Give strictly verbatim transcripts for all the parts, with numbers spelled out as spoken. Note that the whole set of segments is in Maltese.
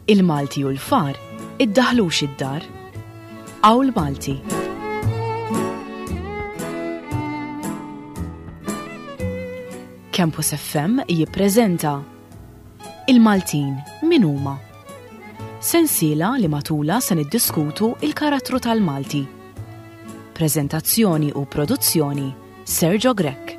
Il-Malti u l-far iddaħlux id-dar. Awl Malti. Campus F M jippreżenta Il-Maltin min huma? Sensiela li matula se niddiskutu il-karattru tal-Malti. Prezentazzjoni u produzzjoni Sergio Grech.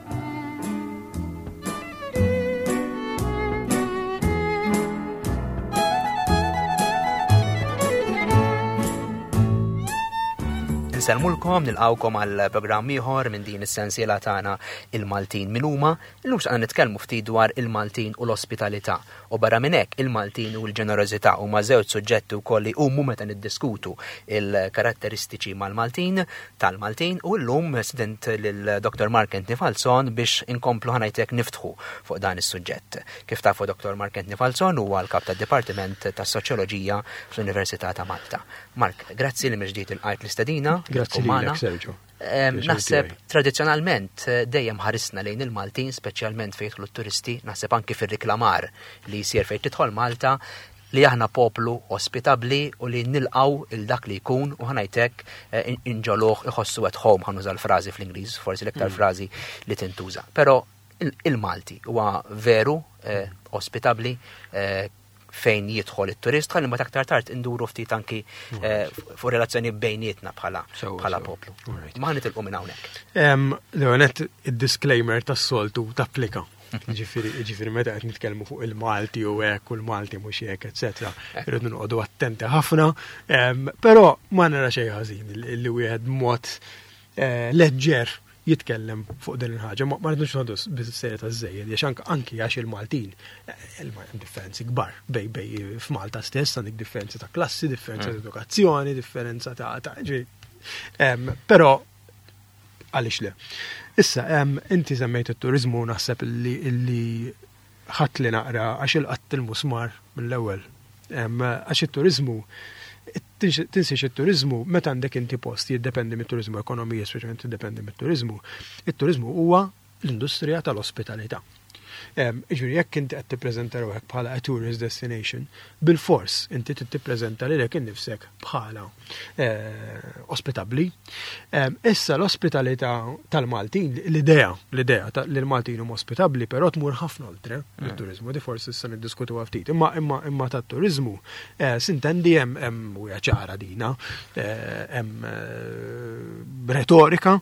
Insellmulkom, nilqawkom għal programm ieħor minn din is-sensiela tagħna Il-Maltin min huma. Illum x'qed nitkellmu ftit dwar il-Maltin u l-ospitalità. U barra minn hekk il-Maltin u l-ġenerożità huma żewġ suġġetti wkoll li huma meta niddiskutu il-karatteristiċi mal-Maltin, tal-Maltin, u llum student lil Doktor Mark Anthony Falzon biex inkomplu ħanajtek niftħu fuq dan is-suġġett. Kif tafu Doktor Mark Anthony Falzon huwa l-kap tad-Dipartiment tas-Soċjoloġija fl-Università ta' Malta. Mark, grazzi li mill-ġdid ilqajt l-istedina. Grazzi Tkun magħna. lilek, Sergio. Ehm, Pjaċir Naħseb tiegħi. tradizzjonalment, eh, dejjem ħarisna lejn il-Maltin, speċjalment fejn jidħlu t-turisti, naħseb anki fir-riklamar li jsir fejn tidħol Malta, li aħna poplu ospitabbli u li nilqaw il dak li jkun u ħanajtek, eh, in-, inġoluh iħossu at home, ħanuża l-frażi fl-Ingliż, forsi l-iktar Mm. frażi li tintuża. Però il-, il-Malti huwa veru, eh, ospitabbli, eh, fejn jidħol it-turist, ħalli ma aktar tard induru ftit anki, Right. eh, fuq relazzjoni bejnietna bħala Sewa, bħala sewa. poplu. Right. Ma ħanitilqu minn hawnhekk. Em, Leonet, id-disclaimer tas-soltu tapplika. Ġifieri, ġifieri meta qed nitkellmu fuq il-Malti u hekk u l-Malti mhux hekk, eċetera, irridu noqogħdu attenti ħafna. Em, però ma nara xejn ħażin li, li wieħed mod, eh, leġġer jitkellem fuq din il-ħaġa. Ma, ma rridux noqogħdu bis-serjetà żejjed, għax anke, anki għax il-Maltin, eh, il-ma-, hemm differenzi kbar bej, bej f'Malta stess għandek differenzi ta' klassi, differenza Mm. ta' edukazzjoni, differenza ta', ta' ġifieri, em, però għaliex le. Issa, em, inti semmejt it-turizmu, naħseb illi, illi ħadd li naqra għax il-qatt il-musmar mill-ewwel. Em, għax it-turizmu, tinsiex, tinsiex it-turizmu, meta għandek inti post jiddependi mit-turizmu, ekonomija speċjalment tiddependi mit-turizmu. It-turizmu huwa l-industrija tal-ospitalità. Em, ġifieri, jekk inti qed tippreżenta ruħek bħala a tourist destination, bil-fors inti trid tippreżenta lilek innifsek bħala, eh, ospitabbli. Em, issa l-ospitalità tal-Maltin, l-idea, l-idea ta' li l-Maltin huma ospitabbli, però tmur ħafna oltre Mm. mit-turizmu, di forsi issa niddiskutuha ftit. Imma, imma, imma tat-turizmu, eh, sintendi hemm, hemm u hija ċara dina, eh, hemm, eh, retorika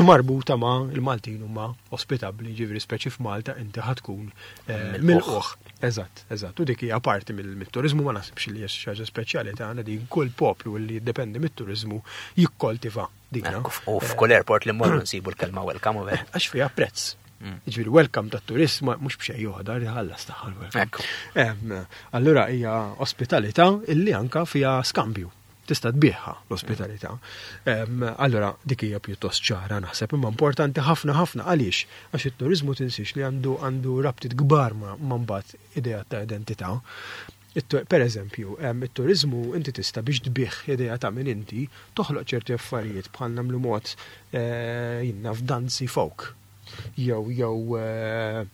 marbuta ma' il-Maltin huma ospitabbli, ġifieri speċi f'Malta inti ħatkun, eh, Milquh. milquh. Eżatt, eżatt. U dik hija parti mill-, mit-turizmu, ma naħsibx li hija xi ħaġa speċjali tagħna din kull poplu li jiddependi mit-turizmu jikkoltiva dina. Ekku, u f'kull airport li mmorru nsibu l-kelma welcome u vera. Għax fiha prezz. Mm. Ġifieri welcome tat-turist ma mhux b'xejn joħodha, ħallas tagħha l-welcome. Ekku. Em, allura hija ospitalità illi anka fiha skambju. Tista' tbieħha l-ospitalità. Em, allura dik hija pjuttost ċara naħseb, imma importanti ħafna ħafna għaliex għax it-turizmu tinsiex li għandu, għandu rabtiet kbar ma, ma mbagħad idea ta' identità. It-tu-, per eżempju, em, it-turizmu inti tista' biex tbieħ idea ta' min inti toħloq ċerti affarijiet bħal nagħmlu mod, eh, jinna f'danzi folk jew, jew, eh,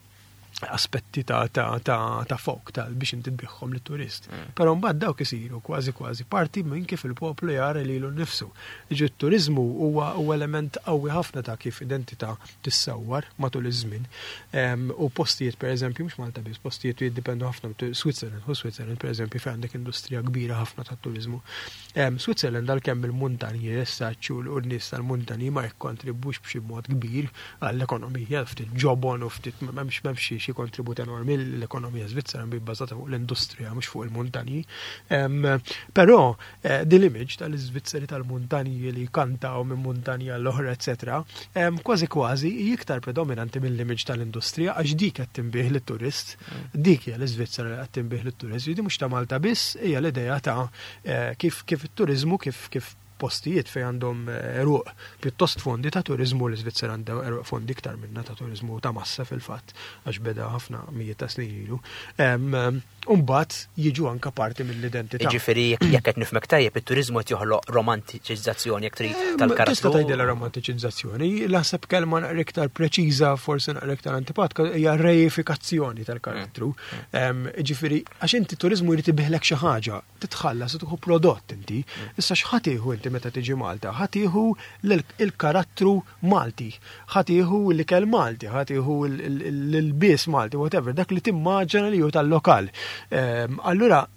aspetti ta', ta', ta', ta' folk ta' biex inti tbiħħom lit-turist. Mm. Però mbagħad dawk isiru kważi kważi parti minn kif il-poplu jara lilu nnifsu. Jiġi t-turizmu huwa, huwa element qawwi ħafna ta' kif identità tissawwar matul iż-żmien. Em, u postijiet pereżempju mhux Malta biss, postijiet li jiddependu ħafna mit-tu-, Switzerland, u Switzerland pereżempju fejn għandek industrija kbira ħafna tat-turizmu. Em, Switzerland għalkemm il-muntanji jessaċċu u l-nies tal-muntanji ma jikkontribwux b'xi mod kbir għall-ekonomija, ftit ġobon u ftit m'hemmx, m'hemmx xi, xi kontribut enormi l-ekonomija Svizzera bi bbażata fuq l-industrija mhux fuq il-muntanji. Em, però, eh, din l-image tal-Iżvizzeri tal-muntanji li kantaw minn muntanja l-oħra, eċetera, em, kważi kważi hi iktar predominanti mill-image tal-industrija għax dik qed tinbih lit-turist, Mm. dik hija l-Iżvizzera li qed tinbih lit-turist, di mhux ta' Malta biss, hija l-idea ta', eh, kif, kif it-turizmu, kif, kif postijiet fejn għandhom għeruq pjuttost fondi ta' turizmu. L-Iżvizzera għandha għeruq fondi iktar minna ta' turizmu ta' massa fil-fatt, għax beda ħafna mijiet ta' snin ilu. Umbagħad jiġu anka parti mill-identità. Ġifieri jekk qed nifhmek tajjeb, it-turizmu qed joħloq romantiċizzazzjoni, jekk trid, tal-karattru. Tista' tgħidilha romantiċizzazzjoni, naħseb kelma naqra iktar preċiża, forsi naqra iktar antipatka, hija reifikazzjoni tal-karattru. Mm. Ġifieri għax inti turizmu jrid ibiħlek xi ħaġa, titħallas u tieħu prodott inti. Mm. Issa x'ħa tieħu inti meta tiġi Malta? Ħa tieħu l-karattru Malti, ħa tieħu l-ikel Malti, ħa tieħu l-ilbies Malti, whatever, dak li timmaġina li hu tal-lokal. Allura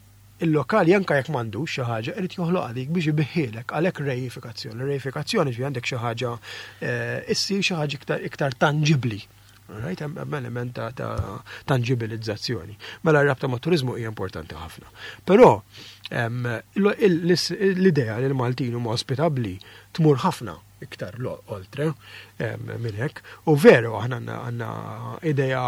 il-lokal anka jekk m'għandux xi ħaġa, irid joħloq dik biex ibiħielek, għalhekk reifikazzjoni. Reifikazzjoni ġi għandek xi ħaġa eh, issir xi ħaġa iktar iktar tangibbli. Right, hemm element ta' tangibilizzazzjoni. Mela r-rabta ma' turizmu hija importanti ħafna. Però l-idea li l-Maltin huma ospitabbli tmur ħafna iktar oltre minn hekk. U veru aħna għandna idea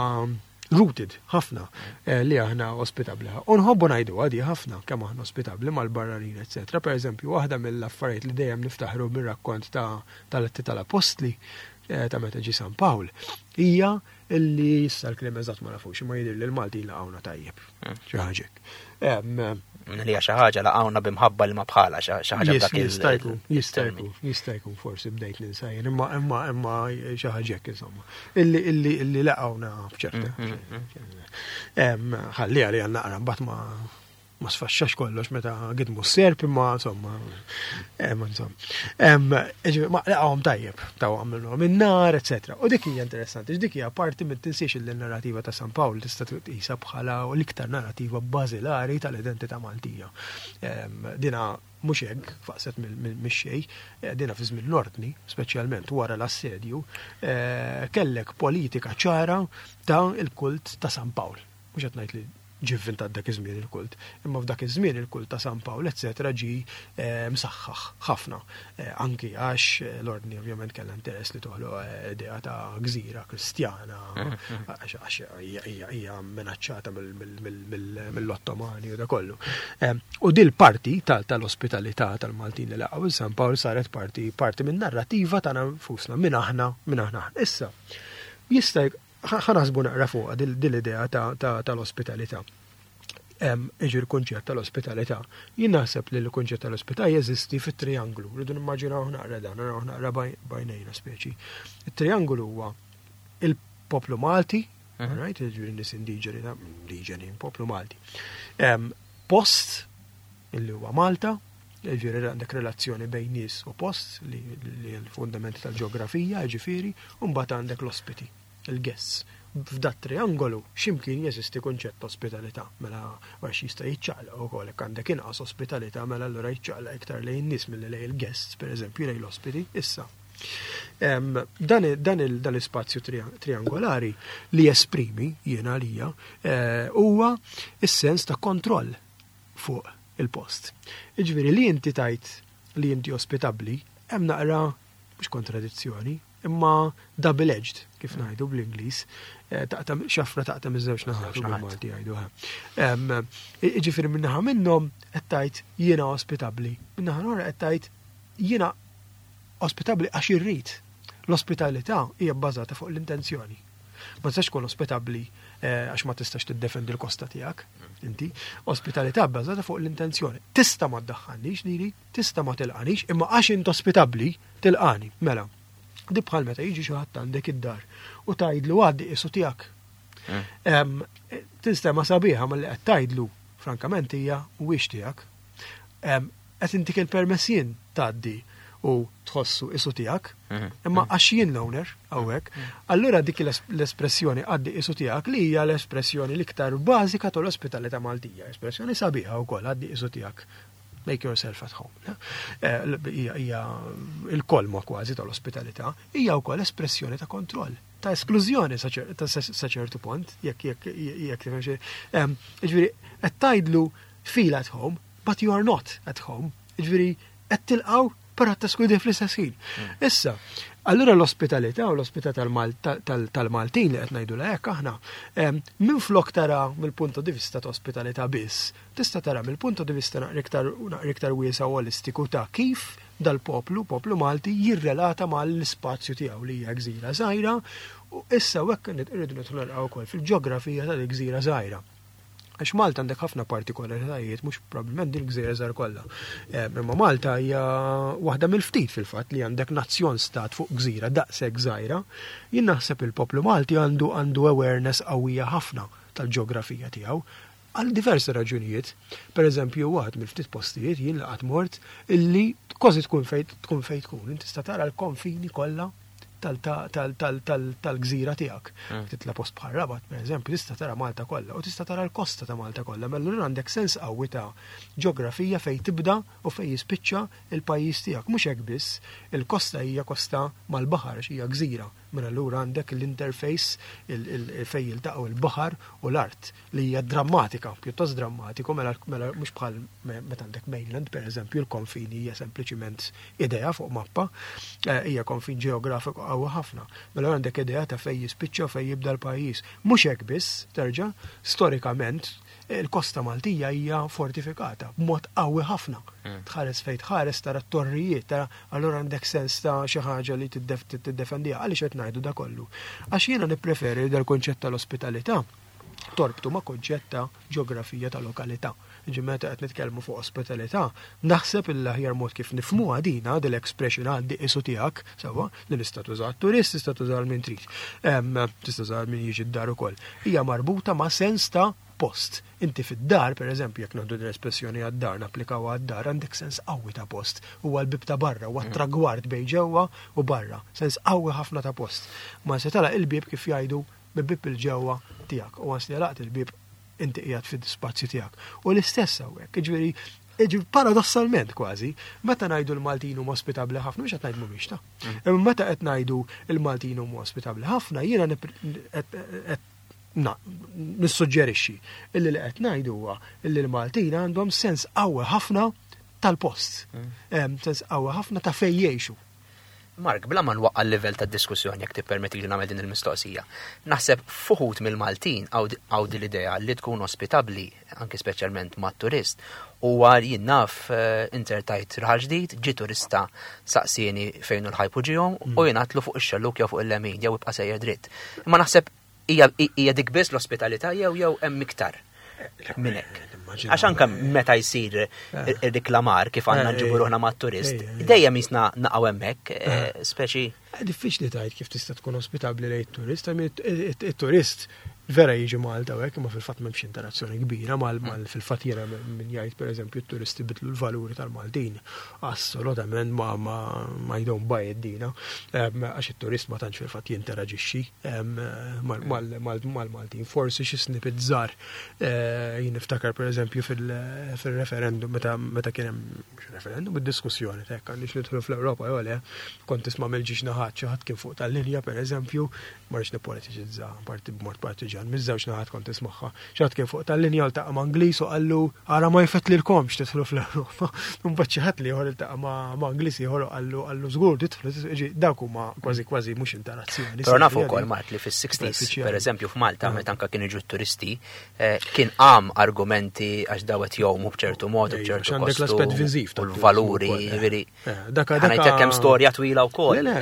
rooted ħafna eh, li aħna ospitabli. U nħobbu ngħidu għadi ħafna kemm aħna ospitabli mal-barranin, eċetera. Per eżempju, waħda mill-affarijiet li dejjem niftaħru mir-rakkont ta' tal-Atti tal-Apostli eh, ta' meta ġi San Pawl hija illi issa l-kliem eżatt ma nafux, imma jidher li l-Maltin laqgħuna tajjeb. Hmm. Xi ħaġa. Li xi ħaġa laqgħuna b'imħabba li ma bħala xi ħaġa. Dak. Jista' jkun, jista' jkun, jista' jkun forsi bdejt ninsa jien, imma imma imma xi ħaġa insomma. Illi illi illi laqgħuna b'ċerta. Mm, mm, mm. Ħalli għalli għal naqra mbagħad ma ma sfaxxax kollox meta gidmu s-serp, imma insomma, imma insomma. Ma laqgħhom tajjeb, taw għamluhom in-nar, eċetera. U dik hija interessanti, dik hija parti minn tinsiex il-narrativa ta' San Pawl tista' tqisha bħala l-iktar narrativa bażilari tal-identità Maltija. Dina mhux hekk faqset mix-xejn, eh, dina fi żmien l-ordni, speċjalment wara l-assedju, eh, kellek politika ċara ta' il-kult ta' San Pawl. Mhux qed ngħid li ġie vvintat dak iż-żmien il-kult, imma f'dak iż-żmien il-kult ta' San Pawl eċetera ġi eh, msaħħaħ ħafna. Eh, anki għax eh, l-ordni ovvjament kellha interess li toħloq idea ta' gżira kristjana, għax hija minaċċata mill-Ottomani u da kollu. U dil parti tal-ospitalità tal-Maltin li laqgħu San Pawl saret parti parti minn narrativa tagħna nfusna, minn aħna, minn aħna. Issa, jista' ħa naħsbu naqra fuq dil-idea tal-ospitalità. Iġi l-kunċett tal-ospitalità. Jien naħseb li l-kunċett tal-ospitalità jeżisti fit-trianglu. Rridu nimmaġinaw naqra dan, naraw naqra b'għajnejna speċi. Il-trianglu huwa il-poplu Malti, mhm. right, ġifieri nies indiġeni, indiġeni, poplu Malti. Post, illi huwa Malta, ġifieri għandek relazzjoni bejn nies u post li l-fundamenti tal-ġeografija, ġifieri, u mbagħad għandek l-ospiti, il-guests. F'dat triangolu ximkien jeżisti kunċett ospitalità, mela għax jista' jiċċaqlaq ukoll, jekk għandek inqas ospitalità, mela allura jiċċaqlaq iktar lejn nies milli lejn il-guests, pereżempju lejn l-ospiti. Issa, dan dan l-ispazju triangolari li jesprimi jiena għalija eh, huwa is-sens ta' kontroll fuq il-post. Iġifieri li inti tajt li inti ospitabbli, hemm naqra mhux kontradizzjoni, imma double-edged, kif ngħidu bl-Ingliż, eh, taqta' xafra taqta' miż-żewġ naħat bil-Malti jgħidu. Ġifieri minnaħa minnhom qed tgħid jiena ospitabbli, minnaħa l-oħra qed tgħid jiena ospitabbli għax irrid. L-ospitalità hija bbażata fuq l-intenzjoni. Ma tistax tkun ospitabbli eh, għax ma tistax tiddefendi l-kosta tiegħek. Inti ospitalità bbażata fuq l-intenzjoni. Tista' ma ddaħħalnix lili, tista' ma tilqanix, imma għax int ospitabbli tilqani. Mela, di bħal meta jiġi xi ħadd għandek id-dar u tgħidlu għaddi qisu tiegħek. Mm. Tinstema sabiħa, ma li qed tgħidlu frankament hija mhuwiex tiegħek. Qed intik il-permess jien tgħaddi u tħossu qisu tiegħek, mhm. imma mhm. għax jien l-owner hawnhekk, mhm. allura dik l-espressjoni għaddi qisu tiegħek li hija l-espressjoni l-iktar bażika tal-ospitalità Maltija, espressjoni sabiħa wkoll, għaddi qisu tiegħek, make yourself at home. Eh, hija il-kolma kważi tal-ospitalità, hija wkoll espressjoni ta' kontroll, ta' esklużjoni sa ċertu punt, jekk jekk jekk tifhem xi. Ġifieri qed tgħidlu feel at home, but you are not at home. Ġifieri qed tilqgħu però teskludi fl-istess ħin. Mm. Issa, allura l-ospitalità u l-ospitalità tal-Maltin li qed ngħidu hekk aħna, minn flok tara mill-punto di vista ta' ospitalità biss, tista' tara mill-punto di vista naqra iktar wiesa' u olistiku ta' kif dal-poplu, poplu Malti, jirrelata mal-spazju tiegħu li hija gżira żgħira, u issa hekk irridu nidħlu naraw ukoll fil-ġeografija tal-gżira żgħira. Għax Malta għandek ħafna partikolaritajiet, mhux probabbilment din il-gżira żgħar kollha. Imma Malta hija waħda mill-ftit fil-fatt li għandek nazzjon stat fuq gżira daqshekk żgħira. Jien naħseb il-poplu Malti għandu għandu awareness qawwija ħafna tal-ġeografija tiegħu għal diversi raġunijiet. Per eżempju, waħed mill-ftit postijiet jien laqat mort illi kważi tkun fejn tkun fejn tkun. Inti tista' tara l-konfini kollha tal-gżira tiegħek. Titla post bħal Rabat, per eżempju, tista' tara Malta kollha u tista' tara l-kosta ta' Malta kollha. Mela allura għandek sens qawwi ta' ġeografija fejn tibda u fejn jispiċċa il-pajjiż tiegħek. Mhux hekk biss, il-kosta hija kosta mal-baħar, hija gżira. Mela allura għandek l-interface fejn jiltaqgħu il-baħar u l-art li hija drammatika, pjuttost drammatiku, mela mela mhux bħal meta għandek mainland, per eżempju, il-konfini hija sempliċiment idea fuq mappa, hija konfin ġeografiku qawwi ħafna. Mela għandek idea ta' fejn jispiċċa u fejn jibda l-pajjiż. Mhux hekk biss, terġa', storikament il-kosta Maltija hija fortifikata b'mod qawwi ħafna. Tħares fejn tħares tara t-torrijiet, tara allura għandek sens ta' xi ħaġa li tiddefendiha. Għaliex qed ngħidu da kollu? Għax jiena nippreferi dal-konċett tal-ospitalità torbtu ma' konċett ta' ġeografija ta' lokalità. Ġi meta qed nitkellmu fuq ospitalità, naħseb il-aħjar mod kif nifhmuha dina dil-expression għaddi qisu tiegħek, sewwa, li nista' tuża turist, tista' tuża min trid. Tista' tuża min jiġi d-dar ukoll. Hija marbuta ma' sens ta' post. Inti fid-dar, per eżempju, jekk nieħdu l-espressjoni għad-dar, napplikaw għad-dar, għandek sens qawwi ta' post. Huwa l-bib ta' barra, huwa tragward bejn ġewwa u barra. Sens qawwi ħafna ta' post. Ma se tagħlaq il-bib kif jgħidu bil-bib il-ġewwa tiegħek. U għans li għalaqt il-bib inti qiegħed fid-spazju tiegħek. U l-istess hawnhekk, jiġifieri, jiġifieri paradossalment kważi, meta ngħidu l-Maltin huma ospitabbli ħafna, mhux qed ngħidu mhumiex ta'. Imma meta qed ngħidu l-Maltin huma ospitabbli ħafna, jiena qed nissuġġerixxi illi li qed ngħidu huwa illi l-Maltin għandhom sens qawwi ħafna tal-post. Sens qawwi ħafna ta' fejn jgħixu. Mark, bla ma nwaqqa' l-livell ta' diskussjoni jekk tippermetti li nagħmel din il-mistoqsija. Naħseb fuħut mill-Maltin għaw din l-idea li tkun ospitabbli, anki speċjalment mat-turist, u għar jien naf intertajt raħal ġdid, ġi turista saqsieni fejn hu l-ħajpu ġihom u jien għedtlu fuq ix-xelluk jew fuq il-lemin jew ibqa' sejjer dritt. Imma naħseb hija dik biss l-ospitalità jew jew hemm iktar minn hekk. Għax anke meta jsir ir-riklamar kif għandna nġibu ruħna mat-turist, dejjem jisna naqgħu hemmhekk, speċi. Diffiċli tgħid kif tista' tkun ospitabbli lejn it-turist, it-turist vera jiġi Malta u hekk, imma fil-fatt m'hemmx interazzjoni kbira mal fil-fatt jiena min jgħid pereżempju t-turisti bidlu l-valuri tal-Maltin. Assolutament ma ma ma I don't buy it dina. Għax it-turist ma tantx fil-fatt jinteraġixxi mal-Maltin. Forsi xi snippet żgħar jien niftakar pereżempju fil-referendum meta meta kien hemm referendum id-diskussjoni ta' jekk għandix nidħlu fl-Ewropa jew le, kont tisma' mill-ġiex naħat xi ħadd kien fuq tal-linja pereżempju, ma rridx nippolitiċizza parti b'mod partiġan, miż-żewġ naħat kont tismagħha. Xi ħadd kien fuq tal-linja ltaqa' ma' Ingliż u qallu ara ma jfettlilkomx tidħlu fl-Ewropa. Mbagħad xi ħadd li ieħor iltaqa' ma' Ingliż ieħor u qallu qallu żgur tidħlu, ġi dawk huma kważi kważi mhux interazzjoni. Però nafu wkoll Mark li fis-sixties, pereżempju f'Malta meta anke kienu jiġu t-turisti, kien qam argumenti għax dawet jgħumu b'ċertu mod u b'ċertu Għandek l-aspett viżiv u l-valuri, jiġifieri. Ħa ngħidlek hemm storja twila wkoll. Le,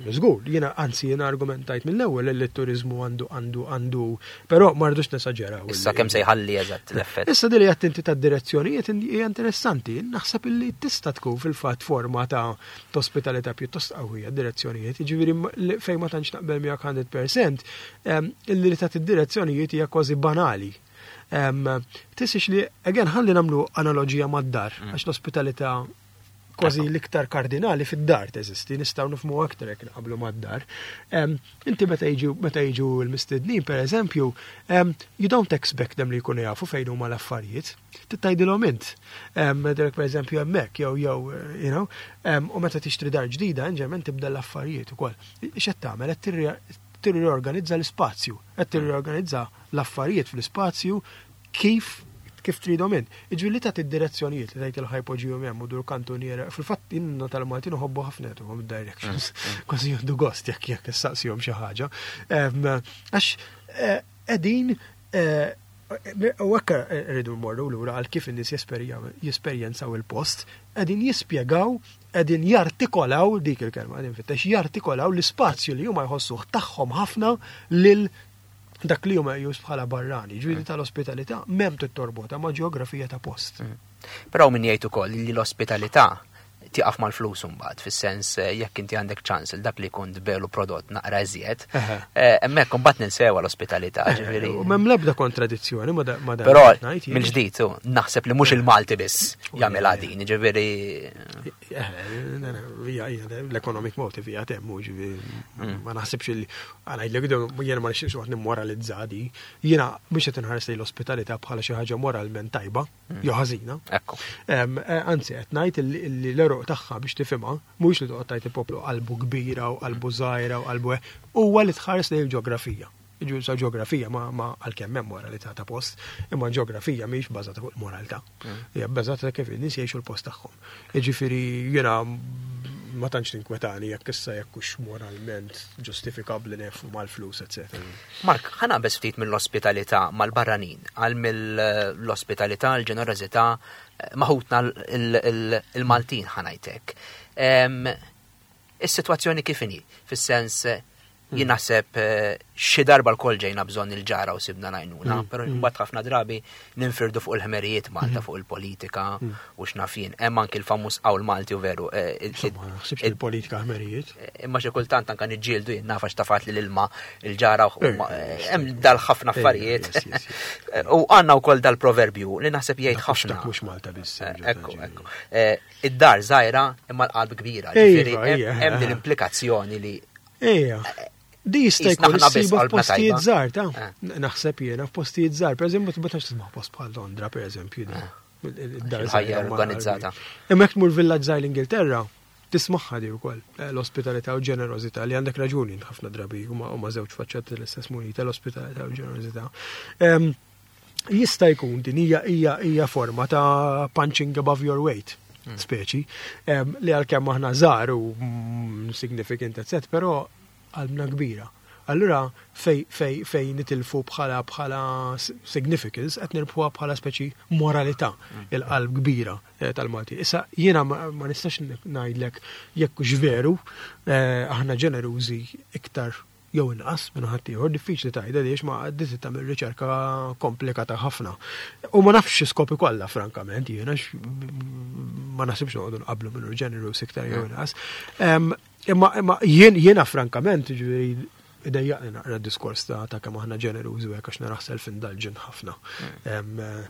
le, żgur, jiena anzi jiena argumentajt mill-ewwel li t-turiżmu għandu għandu għandu, però ma rridux nesaġeraw. Issa kemm se jħalli eżatt l-effett. Issa dili qed inti tad-direzzjonijiet hija interessanti, naħseb illi tista' tkun fil-fatt forma ta' ospitalità pjuttost qawwija direzzjonijiet, jiġifieri fejn ma tantx naqbel miegħek hundred percent, illi li tagħti direzzjonijiet hija kważi banali. Tisix li, again, ħalli nagħmlu analogija mad-dar, għax l-ospitalità kważi l-iktar kardinali fid-dar teżisti, nistgħu nifhmu aktar jekk nqablu mad-dar. Inti meta jiġu meta jiġu l-mistednin, per eżempju, you don't expect them li jkunu jafu fejn huma l-affarijiet. Tgħidilhom int. Derek per eżempju hemmhekk jew jew you know, u meta tixtri dar ġdida, inġement tibda l-affarijiet ukoll. X'qed tagħmel? Qed tirriorganizza l-ispazju, qed tirriorganizza l-affarijiet fl-ispazju kif kif tridhom int. Iġifieri li tagħti id-direzzjonijiet li tgħid il-ħajpoġġihom hemm u dur kantuniera. Fil-fatt inna tal-Maltin uħobbu ħafna jagħtuhom id-directions. Kważi jieħdu gost jekk jekk issaqsihom xi ħaġa. Għax qegħdin U hekk rridu mmorru lura għal kif in-nies jesperjenzaw il-post, qegħdin jispjegaw, qegħdin jartikolaw dik il-kelma, qegħdin fittex jartikolaw l-ispazju li huma jħossuh tagħhom ħafna lil dak li huma jqis bħala barrani. Ġifieri tal-ospitalità m'hemm tittorbota ma' ġeografija ta' post. Mm. Però min jgħid ukoll li l-ospitalità tiqaf mal-flus imbagħad, fis-sens eh, jekk inti għandek ċans il dak li jkun tbelu prodott naqra iżjed, eh, hemmhekk imbagħad ninsewa l-ospitalità, ġifieri. U m'hemm l-ebda kontradizzjoni ma da- ma dan Però qed ngħid jien. mill-ġdid u naħseb li mhux il-Malti biss jagħmilha din, ġifieri. Eh, hija hija l-economic motive hija temmu, ġifieri Mm. ma naħsibx li għana jgħidlek jiena ma nixtieqx waħd nimmoralizza di. Jiena mhux qed inħares lejn l-ospitalità bħala xi ħaġa moralment tajba Mm. jew ħażina. Ekku. Em, eh, Anzi, qed ngħid illi illi l-eruq tagħha biex tifhimha mhux li toqgħod tgħid il-poplu qalbu kbira u qalbu żgħira u qalbu hekk, huwa li tħares lejn il-ġeografija. Ġifieri sa ġeografija ma ma għalkemm hemm moralità ta' post, imma ġeografija mhix bbażata fuq il-moralità. Hija bbażata kif in-nies jgħixu l-post tagħhom. Jiġifieri jiena ma tantx tinkwetani jekk issa jekk hux moralment ġustifikabbli nefu mal-flus, eċetera. Mark, ħa naqbeż ftit mill-ospitalità mal-barranin, għal mill-ospitalità, l-ġenerożità, ma' ħutna il-Maltin ħa ngħidlek. Is-sitwazzjoni kif inhi? Fis-sens jien naħseb eh, xi darba lkoll ġejna bżonn il-ġara u sibna l-għajnuna, Mm, però mm. mbagħad ħafna drabi ninfirdu fuq il-ħmerijiet Malta, fuq il-politika u x'naf jien. Hemm anki l-famuż qawl Malti u veru. eh, il- Insomma, ma naħsibx il-politika ħmerijiet. Imma xi kultant anka niġġieldu jien naf għax tafat li l-ilma il-ġara u Eh, ma- hemm dal-ħafna Eh, affarijiet. yes, yes, yes. U għandna wkoll dal-proverbju li naħseb jgħid Dak mhux- ħafna. dak mhux Malta biss, Eh, ġo- Ekku, ġo- ekku. Eh, Id-dar żgħira imma l-qalb kbira. Iva, Ġifieri hemm ija. hemm din l-implikazzjoni li Ejja. Di jista' Jisna jkun ħna biss issiba qalbna f'postijiet tajba. żgħar ta' Eh. naħseb jiena f'postijiet żgħar. Pereżempju, ma tantx tisma' post bħal Londra, pereżempju, di. Id-dar Il-ħajja żgħira ma' organizzata. Imma jekk tmur villaġġ żgħir l-Ingilterra, tismaħħa di wkoll eh, l-ospitalità u ġenerożità li għandek raġuni ħafna drabi huma huma żewġ faċċati l-istess munita l-ospitalità u ġenerożità. Em, Jista' jkun din hija hija hija forma ta' punching above your weight speċi, em, li għalkemm aħna żgħar u mm, significant etc, però qalbna kbira. Allura fej fej fej nitilfu bħala bħala significance qed nirbħuha bħala speċi moralità il-qalb kbira eh, tal-Malti. Issa jiena ma, ma nistax ngħidlek jekk hux veru eh, aħna ġenerużi iktar jew inqas minn ħadd ieħor, diffiċli tgħidha għaliex ma għaddit tagħmel riċerka komplikata ħafna. U ma nafx xi kollha frankament jiena x- ma naħsibx noqogħdu nqablu minnu ġenerus iktar jew inqas. Em, Imma imma jien jiena frankament ġifieri idejjaqni naqra d-diskors ta' ta' kemm aħna ġenerużi u hekk għax naraħ self-indulgent ħafna. Em, eh,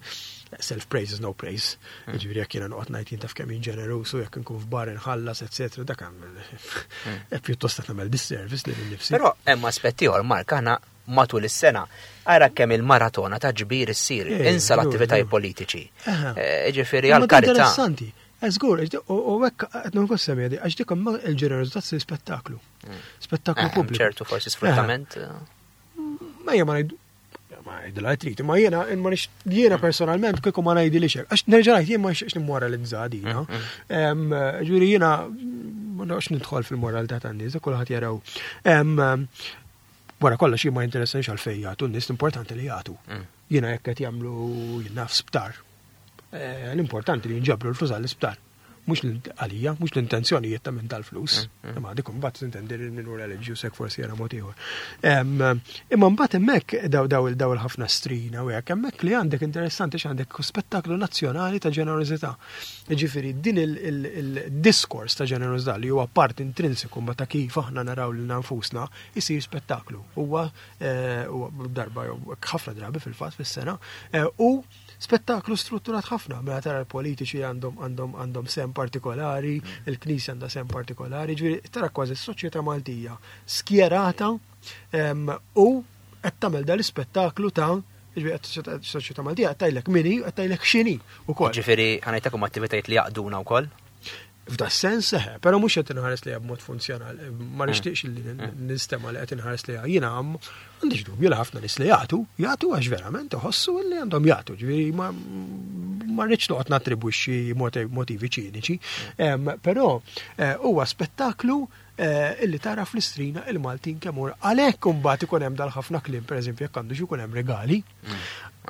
Self-praise is no praise. Ġifieri jekk jiena noqgħod ngħid jien taf kemm jien ġeneruż u jekk inkun f'bar inħallas, eċetera, dak hemm pjuttost qed nagħmel disservice lil innifsi. Però hemm aspetti ieħor Mark, aħna matul is-sena ara kemm il-maratona ta' ġbir issir, Eh, insa l-attivitajiet żgur. politiċi. Aha. Eh, Ġifieri Imma għal-karità. Interessanti. Żgur, u u hekk qed nkun semmi għax dik imma il-ġenerożità tsir spettaklu. Spettaklu Eh, pubbliku. ċertu forsi sfruttament. Ma jien ma ngħid ma ngħidilha trid, imma jiena ma nix jiena personalment kieku ma ngħidilix hekk. Għax nerġa' ngħid jien ma nixtieqx nimmoralizza dina. Em, Ġifieri jiena ma noqgħodx nidħol fil-moralità tan-nies, kulħadd jaraw. Em, Wara kollox jien ma jinteressanix għalfejn jagħtu n-nies l-importanti li jagħtu. Jiena jekk qed jagħmlu jien naf sptar. Eh, L-importanti li jinġabru l-flus għall-isptar. Mhux l- għalija, mhux l-intenzjonijiet ta' minn tal-flus. Imma dik imbagħad tintendi li minnu reliġjuż hekk forsi jara mod ieħor. Em, Imma mbagħad hemmhekk daw daw il daw il-ħafna strina u hekk hemmhekk li għandek interessanti x'għandek spettaklu nazzjonali ta' ġenerożità. Ġifieri din il-diskors ta' ġenerożità li huwa part intrinsiku ma ta' kif aħna naraw lil nfusna isir spettaklu. Huwa eh, huwa darba jew ħafna drabi fil-fatt fis-sena eh, u spettaklu strutturat ħafna, mela tara l-politiċi għandhom għandhom għandhom sem partikolari, il-Knisja għandha sem partikolari, ġifieri tara kważi s-soċjetà Maltija skjerata em, u qed tagħmel dal-ispettaklu ta' ġifieri qed s-soċjetà Maltija qed tgħidlek min hi, qed tgħidlek x'inhi ukoll. Ġifieri ħa ngħidlek attivitajiet li jaqduna wkoll. F'da sens seħe, però mhux qed inħares li b'mod funzjonali, ma nixtieqx li nistema li qed inħares li jiena m'għandix dubju li ħafna nies li jagħtu, jagħtu għax verament iħossu li għandhom jagħtu, ġifieri ma ma rridx noqgħod nattribwixxi motivi ċiniċi, Em, però eh, huwa spettaklu eh, illi tara fl-istrina il-Maltin kemm hu għalhekk imbagħad ikun hemm dal-ħafna kliem, pereżempju jekk għandux ikun hemm regali.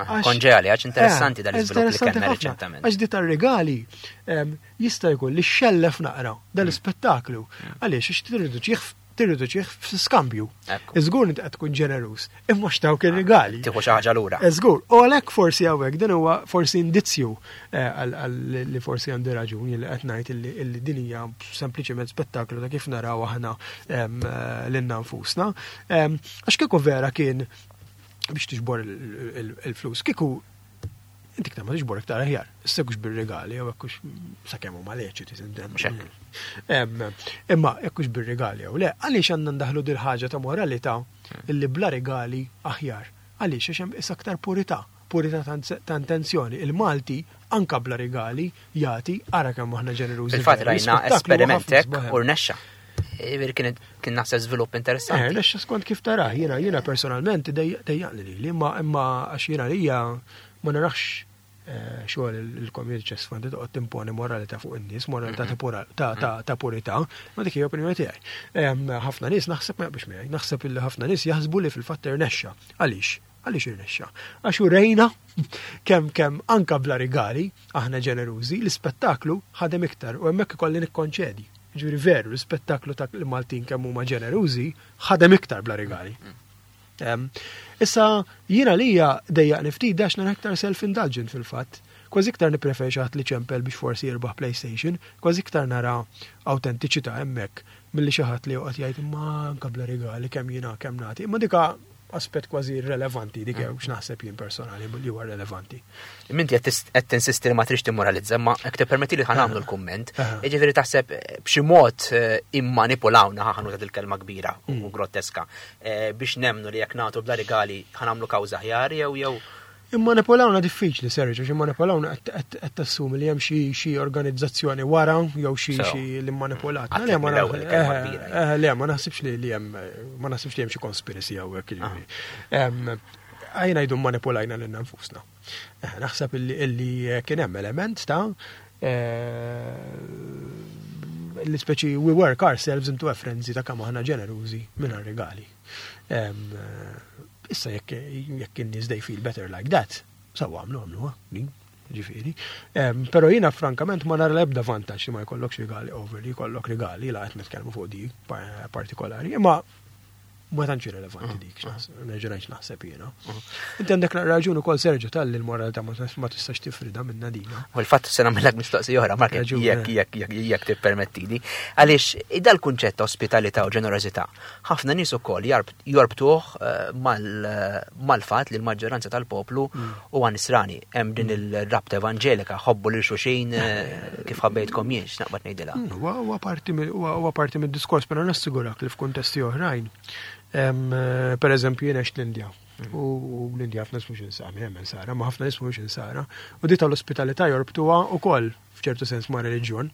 Konġeali, għax interessanti dal-iżvilupp li kellna reċentament. Għax di tar-regali jista' jkun li xellef naqra dal-ispettaklu. Għaliex għax tirriduċih tirriduċih f'skambju. Iżgur inti qed tkun ġeneruż, imma x'dawk ir-regali. Tieħu xi ħaġa lura. Żgur, u għalhekk forsi hawnhekk din huwa forsi indizzju li forsi għandi raġuni li qed ngħid illi din hija sempliċement spettaklu ta' kif naraw aħna lilna nfusna. Għax kieku vera kien biex tiġbor il-flus, kieku inti iktar ma tiġbor iktar aħjar. Issa hux bir-regali jew hekk hux sakemm huma leċiti tintemm. Imma hekk hux bir-regali jew le, għaliex għandna ndaħlu dil ħaġa ta' moralità illi bla regali aħjar. Għaliex għax hemm issa aktar purità, purità ta' intenzjoni. Il-Malti anka bla regali jagħti ara kemm aħna ġenerużi. Fil-fatt rajna esperiment hekk u rnexxa. Kien kien naħseb żvilupp interessanti. Eh, rnexxa skont kif tarah, jiena jiena personalment dejjaqni lili, imma imma għax jiena lija ma narax xogħol il-Community Chest Fund toqgħod timponi moralità fuq in-nies, moralità ta' purità, ma dik hija opinjoni tiegħi. Ħafna nies naħseb ma jaqbux miegħi, naħseb illi ħafna nies jaħsbu li fil-fatt irnexxa. Għaliex? Għaliex irnexxa? Għax urejna kemm kemm anka bla rigali aħna ġenerużi, l-ispettaklu ħadem iktar u hemmhekk ikolli nikkonċedi. Ġifieri veru, l-ispettaklu ta' l-Maltin kemm huma ġenerużi ħadem iktar bla rigali. Issa jiena lija dejjaqni ftit għax nara iktar self-indulgent fil-fatt. Kważi iktar nippreferi xi ħadd li ċempel biex forsi jirbaħ PlayStation, kważi iktar nara autentiċità hemmhekk milli xi ħadd li joqgħod jgħid imma anke bla rigali kemm jiena kemm nagħti. Imma dika aspett kważi irrelevanti dik jew x'naħseb jien personali li huwa relevanti. Minti qed tinsisti li ma trix timmoralizza, ma jekk tippermetti li ħa nagħmlu l-kumment, jiġifieri taħseb b'xi mod immanipulawna ħa nuża il-kelma kbira u groteska biex nemnu li jekk nagħtu bla rigali ħa nagħmlu kawża aħjar jew jew Immanipulawna diffiċli, Sergio, għax immanipulawna qed tassumi li hemm xi organizzazzjoni wara jew xi xi li mmanipulatna. Le ma le ma naħsibx li hemm ma naħsibx li hemm xi conspiracy hawnhekk jiġifieri. Għajna jdu manipulajna lilna nfusna. Naħseb illi kien hemm element ta' li speċi we work ourselves into a frenzy ta' kemm aħna ġenerużi mingħajr regali. Issa jekk jekk in-nies they feel better like that, sawa għamlu għamlu, ġifieri. Però jiena frankament ma nara l-ebda vantaġġ li ma jkollokx regali over li jkollok regali la qed nitkellmu fuq di partikolari, imma ma tantx rilevanti dik, nerġa' ngħid naħseb jiena. Inti għandek raġun ukoll Sergio tal-li l-moralità ma tistax tifrida minna dina. U l-fatt se nagħmellek mistoqsija oħra, Mark, jekk jekk jekk jekk tippermettili. Għaliex dal-kunċett ta' ospitalità u ġenerożità, ħafna nies ukoll jorbtuh mal-fatt li l-maġġoranza tal-poplu huwa nisrani. Hemm din il-rabta evanġelika, ħobbu lil xulxin kif ħabbejtkom jien, x'naqbad ngħidilha. Huwa parti huwa parti mid-diskors, però nassigurak li f'kuntesti oħrajn. Per eżempju, jien għext l-Indja. U l-Indja ħafna nies mhux insara, hemm insara, ma ħafna nies mhux insara. U di tal-ospitalità jorbtuha wkoll f'ċertu sens ma' reliġjon.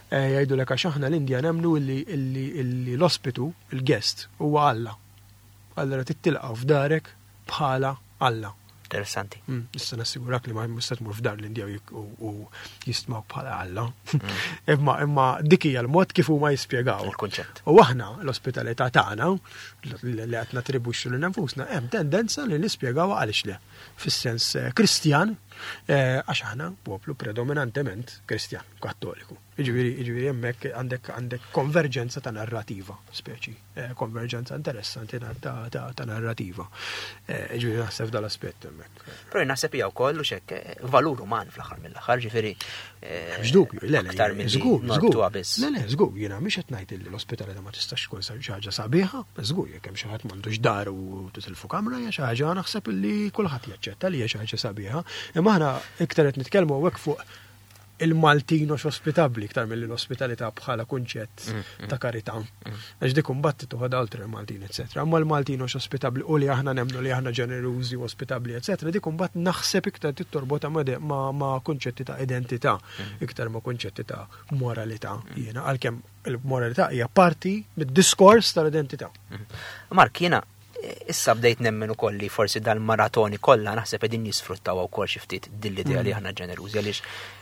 Jgħidulek għax aħna l-Indja nemmnu illi l-ospitu, il-guest, huwa Alla. Allora tittilqgħu f'darek bħala Alla. Interessanti. Issa nassigurak li ma mista tmur f'dar l-Indja u jistmaw bħala Alla. Imma imma dik hija l-mod kif huma jispjegaw. Il-kunċett. U aħna l-ospitalità tagħna li qed natribwixxu lil nfusna hemm tendenza li nispjegaw għaliex le. Fis-sens Kristjan, għax aħna poplu predominantement Kristjan, Kattoliku. Jiġifieri, jiġifieri hemmhekk għandek għandek konverġenza ta' narrativa, speċi, konverġenza interessanti ta' narrativa. Jiġifieri naħseb dal-aspett hemmhekk. Però naħseb hija wkoll u xek valur uman fl-aħħar mill-aħħar, ġifieri. Mhux dubju, le, le, aktar milli żgur, żgur. norbtuha biss. Le, le, żgur, jiena mhix qed ngħid li l-ospitalità ma tistax tkun xi ħaġa sabiħa, żgur jekk hemm xi ħadd m'għandux dar u titilfu kamra hija xi ħaġa naħseb li kulħadd jaċċetta li hija xi ħaġa sabiħa. Imma aħna iktar qed nitkellmu hawnhekk fuq il-Maltin mhux ospitabbli iktar milli l-ospitalità bħala kunċett Mm, mm. ta' karità. Għax dik imbagħad toħodha oltre il-Maltin, eċetera. Imma l-Maltin mhux ospitabbli u li aħna nemmnu li aħna ġenerużi u ospitabbli, eċetera, dik imbagħad naħseb iktar tittorbota ma' de-, ma', ma' kunċetti ta' identità, Mm. iktar ma' kunċetti ta' moralità. Jiena għalkemm il-moralità hija parti mid-diskors tal-identità. Mm. Mark, jiena, eh, Issa bdejt nemmen ukoll li forsi dal-maratoni kollha naħseb qegħdin jisfruttaw wkoll xi ftit din l-idea li aħna ġenerużi, għaliex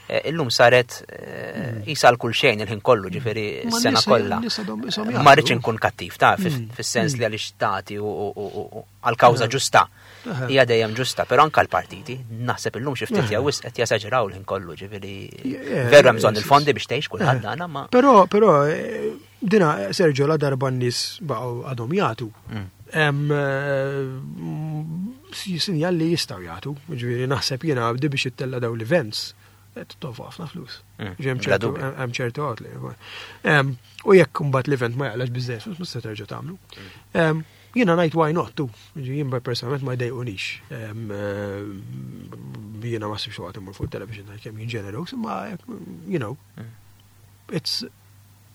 eh, illum saret eh, jisal kull xejn il-ħin kollu, ġifieri Ma s-sena n-nies- kollha. n-nies għadhom ishom Ma rridx jagħtu. inkun kattiv ta' Mm. fis-sens li għaliex tagħti u- u u- u għal-kawża ġusta. Aha. Hija dejjem ġusta, però anke l-partiti naħseb illum xi ftit Aha. jew wisq qed jesaġeraw l-ħin kollu, ġifieri Yeah, veru hemm bżonn yes, il-fondi biex tgħix kulħadd dana ma Però, però, eh, dina, Sergio, la darba n-nies baqgħu għadhom jagħtu. Mm. Hemm eh, sinjal li jistgħu jagħtu, ġifieri naħseb jiena di biex ittella daw l-events, qed tonfoq ħafna flus. Mm, Ġi hemm bla ċertu dubju. hemm ċertu outlay. Em, U jekk imbagħad l-event ma jaqlax biżżejjed flus, mhux se terġa' tagħmlu. Em, Jiena ngħid why not tu. Ġi jien personalment ma jdejqunix. Em, eh, Jiena ma sibx waqt immur fuq television ngħid kemm jien ġenerus, imma you know, it's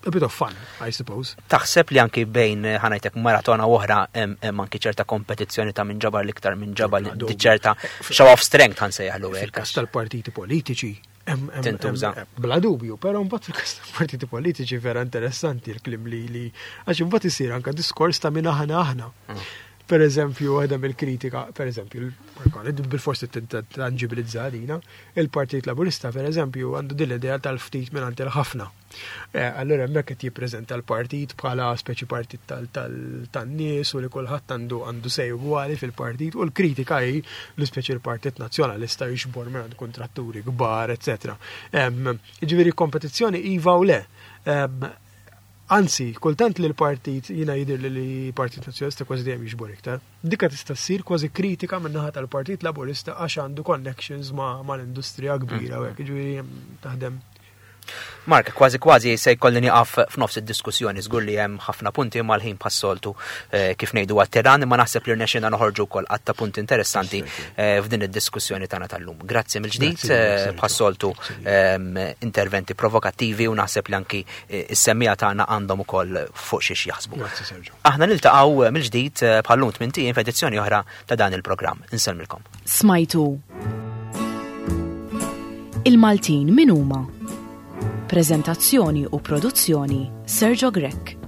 a bit of fun, I suppose. Taħseb li anki bejn eh, ħa ngħidlek maratona u oħra hemm hemm anki ċerta kompetizzjoni ta' min ġabar l-iktar minn ġabar Bla li dubju. ċerta show of strength ħa nsejjaħlu hekk. Fil-kas tal-partiti politiċi, hemm- hemm- Tintuża. hemm- Bla dubju, però mbagħad fil-kas tal-partiti politiċi vera interessanti l-klim li li għax imbagħad isir anka diskors ta' min aħna aħna. Per eżempju, waħda mill-kritika, per eżempju, bil-forsi tangibilizza dina, il-Partit Laburista, per eżempju, għandu din l-idea tal-ftit minn il-ħafna. Eh, Allora hemmhekk qed jippreżenta l-partit bħala speċi partit tal-nies u li kulħadd għandu għandu say ugwali fil-partit u l-kritika hi li speċi l-Partit Nazzjonalista jiġbor minn kontratturi kbar, eccetera. Ġifieri kompetizzjoni iva u le. Em, Anzi, kultant li l-partit, jina jidir li l-Partit Nazzjonalista kważi dejjem jiġbor iktar. Dika tista' ssir kważi kritika minn naħa tal-Partit Laburista għax għandu connections ma' mal-industrija kbira u hekk, ġifieri taħdem. Mark, kważi kważi se jkolli nieqaf f'nofs id-diskussjoni, żgur li hemm ħafna punti mal-ħin bħas-soltu eh, kif ngħidu għat-tiran, imma naħseb li rnexxina noħorġu wkoll għadd ta' punti interessanti eh, f'din id-diskussjoni tagħna tal-lum. Grazzi mill-ġdid, Grazzi, eh, Sergio. bħas-soltu ehm, interventi provokattivi u naħseb li anki eh, is-semmiegħa tagħna għandhom ukoll fuq xiex jaħsbu. Grazzi, Sergio. Aħna niltaqgħu mill-ġdid eh, bħal-lum tmint ijiem f'edizzjoni oħra ta' dan il-programm. Insellmilkom. Smajtu Il-Maltin min huma? Prezentazzjoni u produzzjoni Sergio Grech.